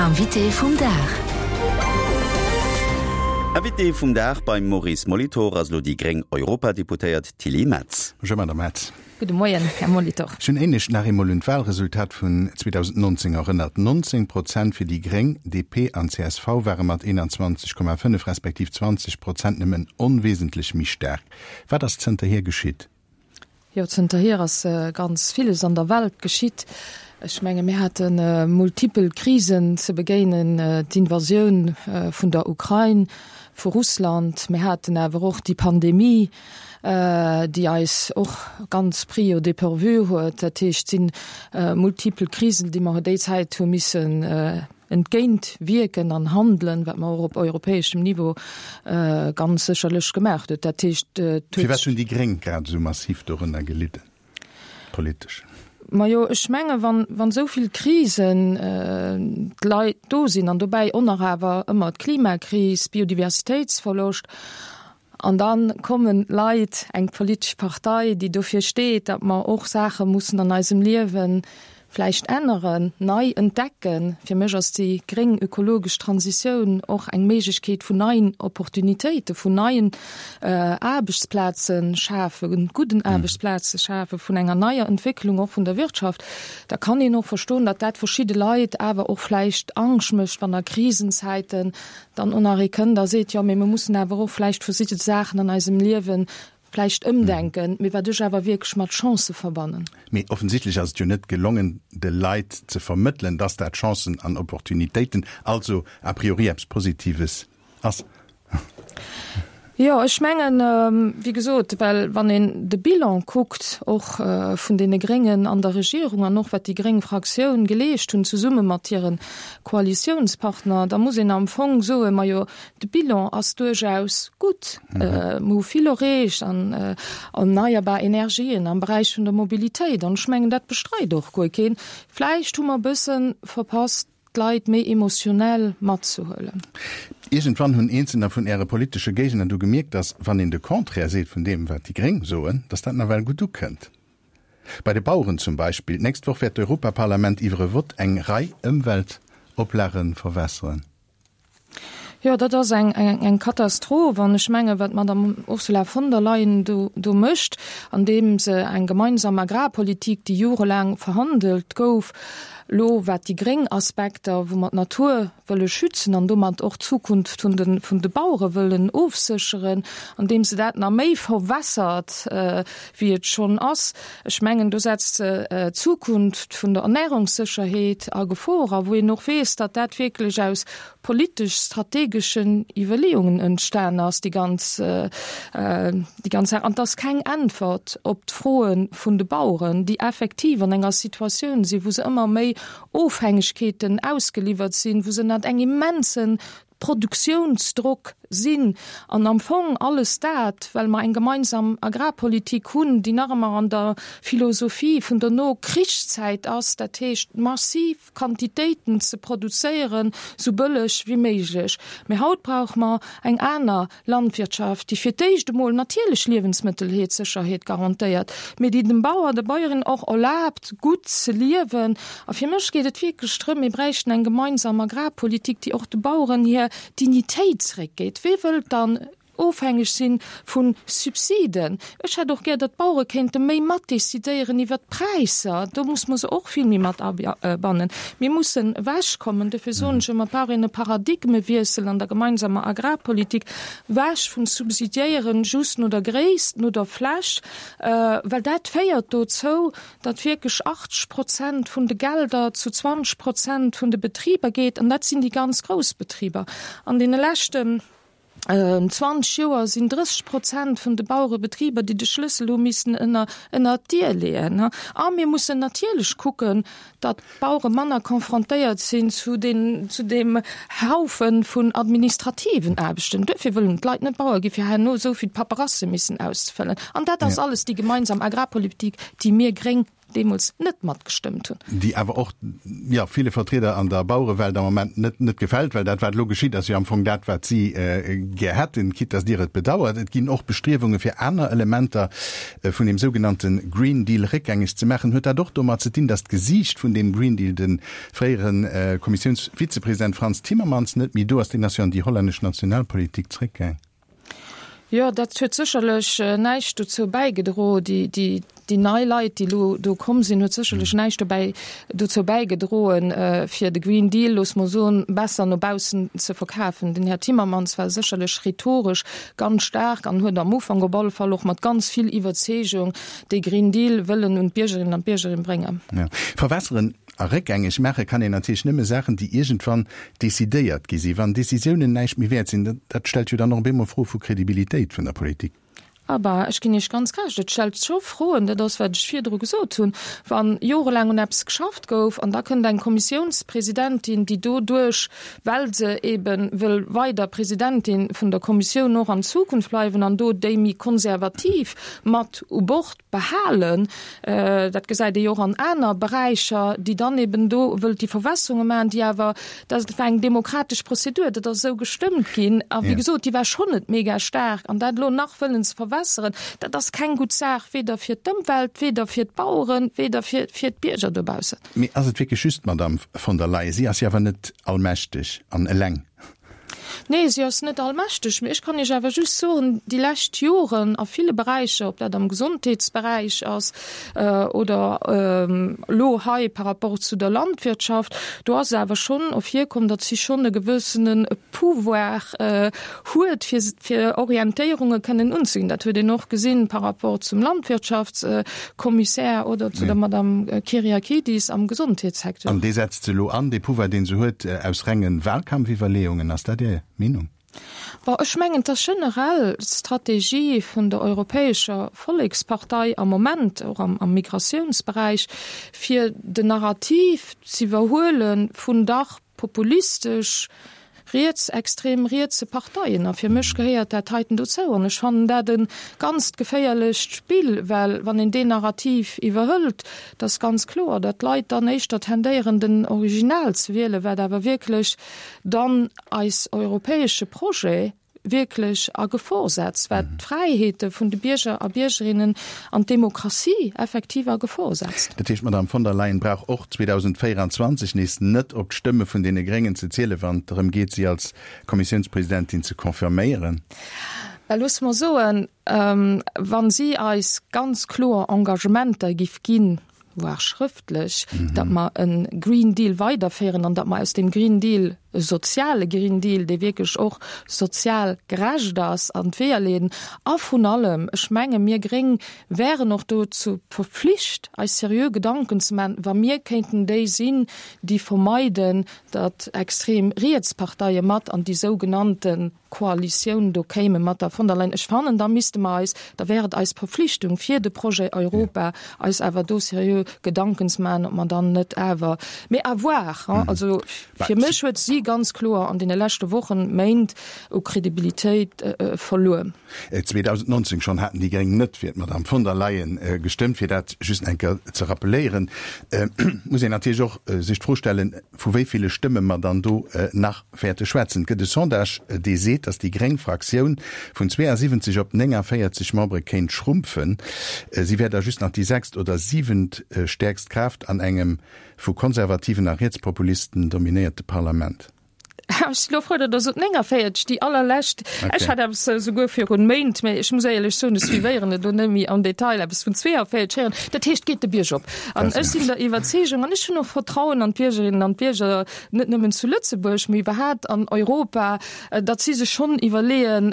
Invité vum Dag. Invité vum Dag beim Maurice Molitor ass elo déi gréng Europadeputéiert Tilly Metz. Bonjour Madame Metz. Gudde Moien, Här Molitor. Ech hunn éinescht nach eemol un d'Wahlresultat vun 2019 erënnert. 19 Prozent fir déi gréng, DP an csv ware mat 21,5 respektiv 20 Prozent nëmmen onwesentlech méi staark. Wat ass zënterhier geschitt? Jo, zënterhier ass ganz villes an der Welt geschitt. Ech menge mir hate multipel Krisen ze begéinen, d'Invasioun vun der Ukrain vu Russland, mir haten awer och déi Pandemie, déi eis och ganz pris au dépourvu huet. Dat heescht, et si multipel Krisen, déi mer déi Zäit hu missen entgéint wierken an handelen, wat mer och op europäeschem Niveau ganz sécherlech gemaach huet. Dat heescht, et huet. Firwat hunn déi Gréng grad esou massiv dorënner gelidden, politesch? Majo, ech menge wann, wann esou vill Krisen d'Leit do sinn an dobäi och nach awer ëmmer d'Klimakris, Biodiversitéitsverloscht, An da kommen d'Leit, eng politesch Partei, déi dofir steet, datt mer och Saache mussen an eisem Liewe vläicht änneren, nei entdecken. Fir mech ass déi gréng ökologesch Transitioun och eng Méiglechkeet vun neien Opportunitéiten, vun neien Aarbechtsplaze schafen, gudden Aarbechtsplaze schafen, vun enger neier Entwécklung och vun der Wirtschaft. Da kann een och verstoen, datt dat verschidde Leit awer och vläicht Angscht mécht, wann a Krisenzäiten dann och nach ee kënnt a seet, jo, mee mir mussen awer och vläicht verschidde Saachen an eisem Liewe vläicht ëmdenken, mee wat ech awer wierklech mat Chancë verbannen. Mee offensichtlech ass et jo net gelongen, de Leit ze vermëttelen, dass dat Chancen an Opportunitéiten, also a priori eppes Positives ass. Jo, ech mengen, wéi gesot, well wann een de Bilan kuckt, och vun deene Gréngen an der Regierung an och wat déi gréng Fraktioun geleescht hunn zesumme mat hire Koalitiounspartner, da muss een am Fong soen, majo, de Bilan ass duerchaus gutt. Mir hu vill erreecht an erneierbar Energien, am Beräich vun der Mobilitéit an ech mengen, dat bestreit och guer keen. Vläicht hu mer e bësse verpasst, d'Leit méi emotionell matzehuelen. Iergendwann hunn eenzelner vun Äre politesche Géigner du gemierkt, datt, wann een de Contraire seet vun deem, wat déi Gréng soen, datt dat nawell gutt ukënnt. Bei de Baueren zum Beispill. D'nächst Woch wäert d'Europaparlament iwwer e Vott eng Rei Ëmweltoplage verwässeren. Jo, dat ass eng, eng Katastroph. An ech menge wat d'Madame Ursula von der Leyen do, do mécht, andeem se eng gemeinsam Agrarpolitik, déi jorelaang verhandelt gouf, elo wat déi gréng Aspekter, wou mer d'Natur wëlle schützen an domat och d'Zukunft vun de, vun de Bauere wëllen ofsécheren, andeem se dat nach méi verwässert, wéi et schonn ass, ech mengen, do setzt se d'Zukunft vun der Ernährungssécherheet a Gefor a wou een och weess, datt dat wierklech aus politesch-strategeschen Iwwerleeungen entstan ass, déi ganz, déi ganz Saach. An et ass keng Äntwert op d'Froe vun de Baueren, déi effektiv an enger Situatioun sinn, wou se ëmmer méi Ofhängegkeeten ausgeliwwert sinn, wou se ënnert engem immensen Produktiounsdrock sinn an am Fong alles dat, well mer eng gemeinsam Agrarpolitik hunn, déi nach ëmmer an der Philosophie vun der No-Krichszäit ass, dat heescht massiv Quantitéiten ze produzéieren, sou bëlleg wéi méiglech. Mee haut brauche mer eng aner Landwirtschaft, déi fir d'éischt emol natierlech Liewensmëttelheetsécherheet garantéiert, mee déi dem Bauer, der Bäuerin och erlaabt, gutt ze liewen. A fir mech geet et wierklech drëm, mir bräichten eng gemeinsam Agrarpolitik, déi och de Baueren hir Dignitéit zréckgétt. Wee wëllt dann ofhängeg si vu Subsiden? Ech hätt och gär, datt d'Bauere kéinte méi matdecidéieren iwwert d'Präisser. Do muss mer se och vill méi mat abannen. Mir mussen ewechkommen, dofir soen ech ëmmer, et brauch een e Paradigmewiessel an der gemeinsamer Agrarpolitik, ewech vum Subsidiéieren just no der Gréisst, no der Fläch, well dat féiert dozou, datt wierklech 80 Prozent vun de Gelder zu 20 Prozent vun de Betriber geet, an dat sinn déi ganz grouss Betriber. An deene leschten 20 Joer sinn 30 Prozent vun de Bauerebetriber, déi de Schlëssel hu missen ënner ënner d'Dier leeën. A mir mussen natierlech kucken, datt d'Bauere manner confrontéiert sinn zu den zu deem Haufe vun administrativen Aarbechten. Duerfir wëllen d'Leit net Bauer gi fir herno esou vill Paperasse missen auszefëllen. An dat ass alles déi gemeinsam Agrarpolitik, déi mir Gréng. deemools net matgestëmmt hunn. Déi awer och, jo, ville Vertrieder an der Bauerewelt am Moment net net gefält, well dat, wat elo geschitt, ass jo am Fong dat, wat si gär hätten, quitte dass Dir et bedauert. Et ginn och Bestriewunge fir aner Elementer vun deem sougenannte Green Deal réckgängeg ze maachen. Huet dat och domat ze dinn, dass d'Gesiicht vun deem Green Deal, de fréiere Kommissiounsvizepresident Frans Timmermans, net méi do ass? Deen ass jo an déi hollännesch Nationalpolitik zréckgaang. Jo, dat huet sécherlech näischt dozou bäigedro. Déi, déi, déi nei Leit, déi elo do komm sinn, huet sécherlech näischt dobäi, dozou bäigedroen, fir de Green Deal, loosse mer soen, besser no baussen ze verkafen. Den Här Timmermans war sécherlech rhetoresch ganz staark an huet am Ufank op alle Fall och mat ganz vill Iwwerzeegung dee Green Deal wëllen un d'Biergerinnen an d'Biergerin bréngen. Verwässeren A réckgängeg maache kann een natierlech nëmme Saachen, déi iergendwann decidéiert gi sinn. Wann Decisiounen näischt méi wäert sinn, dat stellt jo dann och op eemol Froe vu Kredibilitéit vun der Politik. Abaa, ech ginn Iech ganz Recht, et stellt scho Froen. Dat ass, wat ech virdru gesot hunn. Wa jorelaang un eppes geschafft gouf an da kënnt eng Kommissiounspresidentin, déi doduerch, well se eebe wëll weider Presidentin vun der Kommissioun och an Zukunft bleiwen an do déi méi konservativ mat u Bord behalen, dat gesäit ee jo och an aner Beräicher, déi dann eben do wëllt déi Verwässerunge maachen, déi awer, dat war eng demokratesch Prozedur, dat ass esou gestëmmt ginn a wéi gesot, déi war schonn net mega staark an dat elo nach wëllen ze verwässeren, dat ass keng gutt Saach, weder fir d'Ëmwelt, weder fir d'Baueren, weder fir d'Bierger dobaussen. Mee ass et wierklech just d'Madame von der Leyen? Si ass jo awer net allmächteg an eleng. Nee, si ass net allmächteg. Mee ech kann Iech awer just soen, déi lescht Joren a ville Beräicher, ob dat am Gesondheetsberäich ass oder elo hei par rapport zu der Landwirtschaft, do ass et awer schonn ervirkomm, datt si schonn e gewëssene Pouvoir huet, fir fir Orientéierunge kënnen unzeginn. Dat huet een och gesinn par rapport zum Landwirtschaftskommissär oder zu der Madame Kyriakides am Gesondheetssecteur. An dee setzt se elo an, dee Pouvoir, dee se huet, aus renge Wahlkampfiwwerleeungen. Ass dat Är Meenung? Bon, ech mengen, et ass generell d'Strategie vun der Europäescher Vollekspartei am Moment, och am Migratiounsberäich, fir den Narrativ z'iwwerhuele vun dach populistesch, rietsextrem rietse Parteien. A fir mech gehéiert dat heiten dozou. An ech fannen dat e ganzt geféierlecht Spill, well wann een deen Narrativ iwwerhëlt, da ass ganz kloer, datt d'Leit dann éischter tendéieren, den Original ze wielen, wat awer wierklech dann eis europäesche Projet wierklech a Gefor setzt, wat d'Fräiheete vun de Bierger a Biergerinnen an d'Demokratie effektiv a Gefor setzt. Dat heescht, d'Madamm von der Leyen brauch och 2024 nees net op d'Stëmme vun deene Gréngen ze zielen, wann et drëm geet, si als Kommissiounspresidentin ze confirméieren? Well loosse mer soen, wa si eis ganz kloer Engagementer giff ginn, voire schrëftlech, datt mer e Green Deal weiderféieren an datt mer aus deem Green Deal e soziale Green Deal, dee wierklech och sozial gerecht ass, an d'Weeër leeden. A vrun allem, ech menge mir Gréng wären och dozou verpflicht, eis seriö Gedanken ze maachen, wa mir kéinten déi sinn, déi vermeiden, datt extrem riets Parteie mat an déi sougenannte Koalitioun do kéime mat der von der Leyen. Ech fannen, da misste mer eis, da wär et eis Verpflichtung fir de Projet Europa, eis awer do seriö Gedanken ze maachen, ob mer dann net awer, mee à voir, hein. Also fir mech huet si ganz kloer an deene leschte Wochen, Méint u Kredibilitéit verluer. 2019 schonn haten déi Gréng net fir d'Madame von der Leyen gestëmmt. Fir dat just eng Kéier ze rappeléieren, muss een natierlech och sech d'Fro stellen, vu wéi ville Stëmme mer dann do nach wäerte schwätzen. Et gëtt e Sondage, dee seet, datt déi gréng Fraktioun vun 72 op 49 Membere kéint schrumpfen. Si wär da just nach déi sechst oder siwent stäerkst Kraaft an engem vu Konservativen a Rietspopulisten dominéierte Parlament. Ech si lo frou, datt Der sot 49, déi allerlescht. Ech hat eppes esouguer virun Méint, mä ech muss éierlech soen, ech suivéieren et elo net méi am Detail, eppes vun 42 héieren. Dat heescht, et geet de Bierg op. An ech sinn der Iwwerzeegung, an ech hunn och Vertrauen an d'Biergerinnen an d'Bierger, net nëmmen zu Lëtzebuerg, mee iwwerhaapt an Europa, datt si sech schonn iwwerleeën,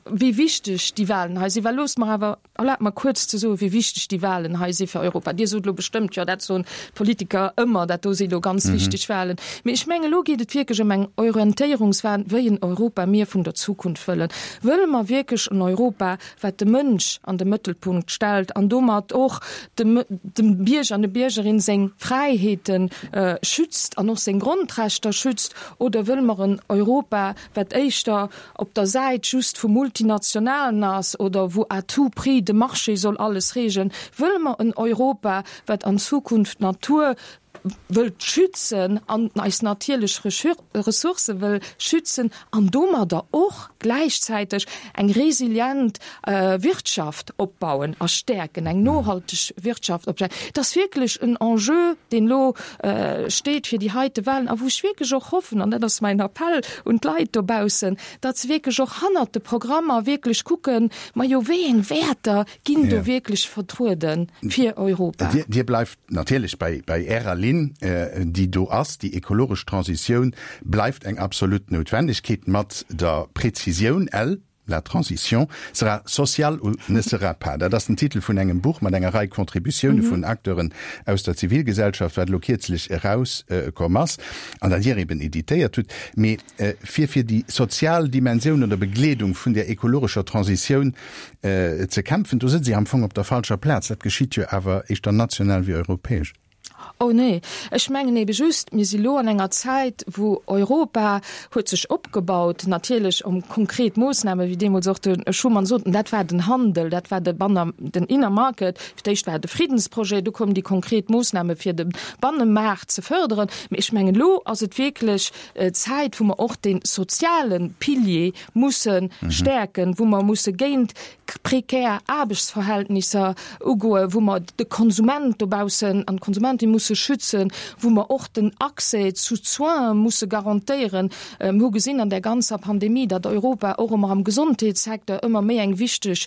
wéi wichteg déi Wahlen hei sinn. Well loosst mer awer, erlaabt mer kuerz ze soen, wéi wichteg déi Wahlen hei si fir Europa. Dir sot elo bestëmmt, jo, dat soen d'Politiker ëmmer, dat do si elo ganz wichteg Wahlen. Mee ech mengen, elo geet et wierklech ëm eng. Orientéierungswahlen, wéi en Europa mir vun der Zukunft wëllen. Wëlle mer wierklech en Europa, wat de Mënsch an de Mëttelpunkt stellt an domat och dem dem Bierger an der Biergerin seng Fräiheete schützt an och seng Grondrechter schützt, oder wëlle mer en Europa, wat éischter op der Säit just vu Multinationalen ass oder wou à tout prix de Marché soll alles regeln? Wëlle mer en Europa, wat an Zukunft d'Natur wëllt schützen an eis natierlech Ressourcë wëll schützen an domadder och gläichzäiteg eng resilient Wirtschaft opbauen a stäerken, eng nohalteg Wirtschaft opbauen. Et ass wierklech en Enjeu, deen elo steet fir déi heite Wahlen a wou ech wierklech och hoffen, an dat ass mäin Appell un d'Leit dobaussen, datt se wierklech och hannert de Programmer wierklech kucken, majo wéi eng Wäerter ginn do wierklech vertruede fir Europa. Dir bleift natierlech bei bei Ärer Linn, déi do ass. Déi ekologesch Transitioun bleift eng absolut Noutwendegkeet, mat der Prezisioun, L, La transition sera sociale ou ne sera pas. Dat ass den Titel vun engem Buch mat enger Rei Contributioune vun Acteuren aus der Zivilgesellschaft, wat elo kierzlech erauskomm ass an dat Dir eben editéiert hutt. Mee fir fir déi sozial Dimensioun oder Begleedung vun där ekologescher Transitioun ze kämpfen, do sëtzt Dir am Fong op der falscher Plaz. Dat geschitt jo awer éischter national wéi europäesch. Oh nee, ech mengen ebe just, mir si lo an enger Zäit, wou Europa huet sech opgebaut, natierlech om konkret Moossnamen, wéi deemools och de Schuman sot, an dat war den Handel, dat war de Banner, den Inner Market. Fir d'éischt war et de Friddensprojet, du koumen déi konkret Moossname fir de Bannemaart ze fërderen. Mee ech mengen, elo ass et wierklech Zäit, wou mer och dee soziale Pilier musse stäerken, wou mer musse géint prekär Aarbechtsverhältnisser ugoen, wou mer de Konsument dobaussen an d'Konsumentin musse schützen, wou mer och den Accès zu Soine musse garantéieren. Mir hu gesinn an där ganzer Pandemie, datt Europa och ëmmer am Gesondheetssecteur ëmmer méi eng wichteg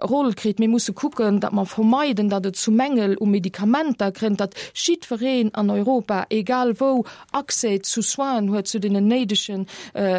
Roll kritt. Mir musse kucken, datt mer vermeiden, datt et zu Mängel u Medikamenter kënnt, datt jiddwereen an Europa, egal wou, Accès zu Soinen huet, zu deenen néidege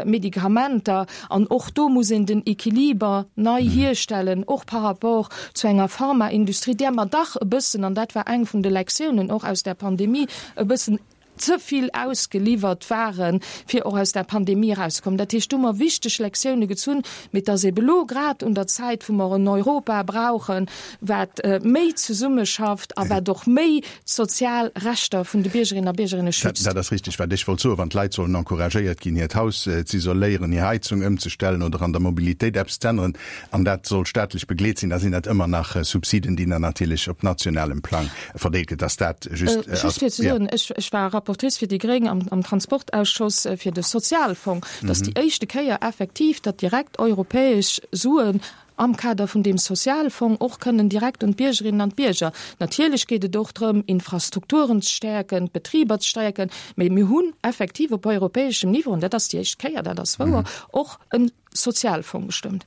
Medikamenter. An och do muss een den Equiliber nei hierstellen, och par rapport zu enger Pharmaindustrie, där mer dach e bëssen, an dat war eng vun de Lektiounen och aus der Pandemie, e bëssen ze vill ausgeliwwert waren, fir och aus der Pandemie erauszekommen. Dat heescht, do hu mer wichteg Lektioune gezunn, mee et ass ebe lo grad un der Zäit, wou mer en Europa brauchen, wat méi zesummeschafft a wat och méi d'sozial Rechter vun de Biergerinnen a Biergerinne schützt. Dat ass richteg, wat ech wollt soen. Wann d'Leit sollen encouragéiert ginn, hiert Haus z'isoléieren, hir Heizung ëmzestellen oder an der Mobilitéit eppes z'änneren, an dat soll staatlech begleet sinn, da sinn dat ëmmer nach Subsiden, déi dann natierlech op nationalem Plang verdeelt gëtt. Dass dat just ass. Just fir ze soen, ech war Rapportrice fir déi Gréng am Transportausschoss fir de Sozialfong. Dat ass déi éischte Kéier effektiv, datt direkt europäesch Suen am Kader vun deem Sozialfong och kënnen direkt un d'Biergerinnen an d'Bierger. Natierlech geet et och drëm, Infrastrukturen ze stäerken, d'Betriber ze stäerken, mee mir hunn effektiv op europäeschem Niveau, an dat ass déi éischt Kéier, dat ass wouer, och e Sozialfong gestëmmt.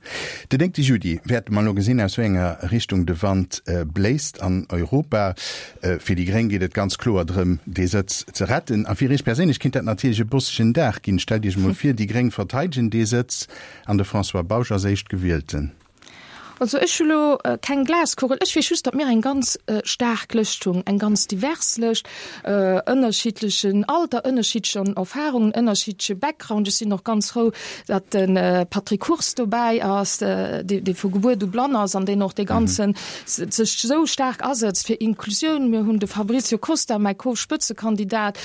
Den 9 Juli wäerte mer elo gesinn, aus wéi enger Richtung de Wand bléist an Europa. Fir déi Gréng geet et ganz kloer drëm, dee Sëtz ze retten. A fir Iech perséinlech kinnt dat natierlech e bossegen Dag ginn. Stellt Iech emol vir, déi Gréng verteidegen dee Sëtz. An de François Bausch ass Éischtgewielten. Also ech hu lo keng Glaskugel. Ech weess just, datt mir eng ganz staark Lëscht hunn, eng ganz divers Lëscht, ënnerschiddlechen Alter, ënnerschiddlechen Erfahrungen, ënnerschiddleche Background. Ech sinn och ganz frou, datt de Patrick Hurst dobäi ass, dee vu Gebuert u blann ass an deen och dee ganzen sech esou staark asëtzt fir Inklusioun. Mir hunn de Fabrizio Costa, mäi Co-Spëtzekandidat,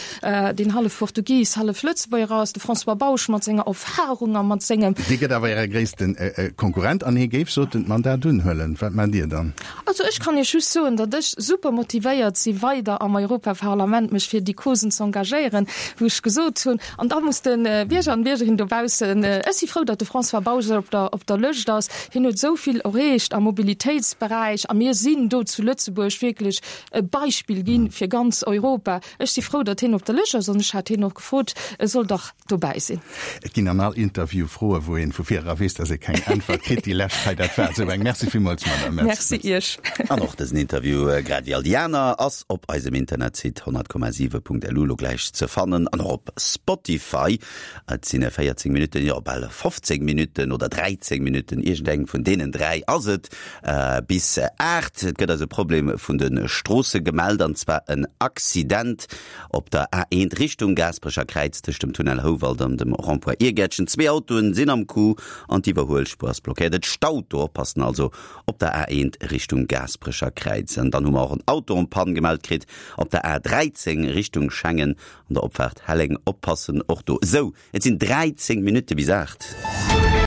deen hallef Portugis, hallef Lëtzebuerger ass, de François Bausch mat senger Erfahrung a mat sengem. Dee gëtt awer Äre gréisste Konkurrent an hie géif, sot en, d'Mandat unhuelen. Wat maacht Dir dann? Also ech kann Iech just soen, datt ech super motivéiert si weider am Europaparlament mech fir déi Causen z'engagéieren, wou ech gesot hunn, an da muss de Bierger an d'Biergerin dobaussen, ech si frou, datt de François Bausch op der op der Lëscht ass, hien huet esou vill erreecht am Mobilitéitsberäich a mir sinn do zu Lëtzebuerg wierklech e Beispill gi fir ganz Europa. Ech si frou, datt hien op der Lëscht ass an ech hat hien och gefrot, e soll dach dobäi sinn. Et ginn an all Interview Froe wou een vu vir era weess, datt ee keng Äntwert kritt. Déi lescht hei, dat war esou eng. eng. Merci villmools, Madame Metz. Merci Iech. An och dësen Interview, grad wéi all déi aner, ass op eisem Internetsite 100,7.lu elo gläich ze fannen an och op Spotify. Et sinn 14 Minutten, jo bal 15 Minutten oder 13 Minutten, iergendeng vun deenen 3 ass et, bis 8. Et gëtt eis e Problem vun de Stroosse gemellt, an zwar en Accident op der A1 Richtung Gaasperecher Kräiz tëscht dem Tunnel Houwald an dem Rond-point Iergäertchen. Zwee Autoen sinn am Coup an d'Iwwerhuelspuer ass blockéiert. Et staut do, oppassen also op der A1 Richtung Gaasperecher Kräiz. An dann hu mer och en Auto en panne gemellt kritt op der A13 Richtung Schengen an der Opfaart Helleng. Oppassen och do. Esou, et sinn 13 Minutte bis 8.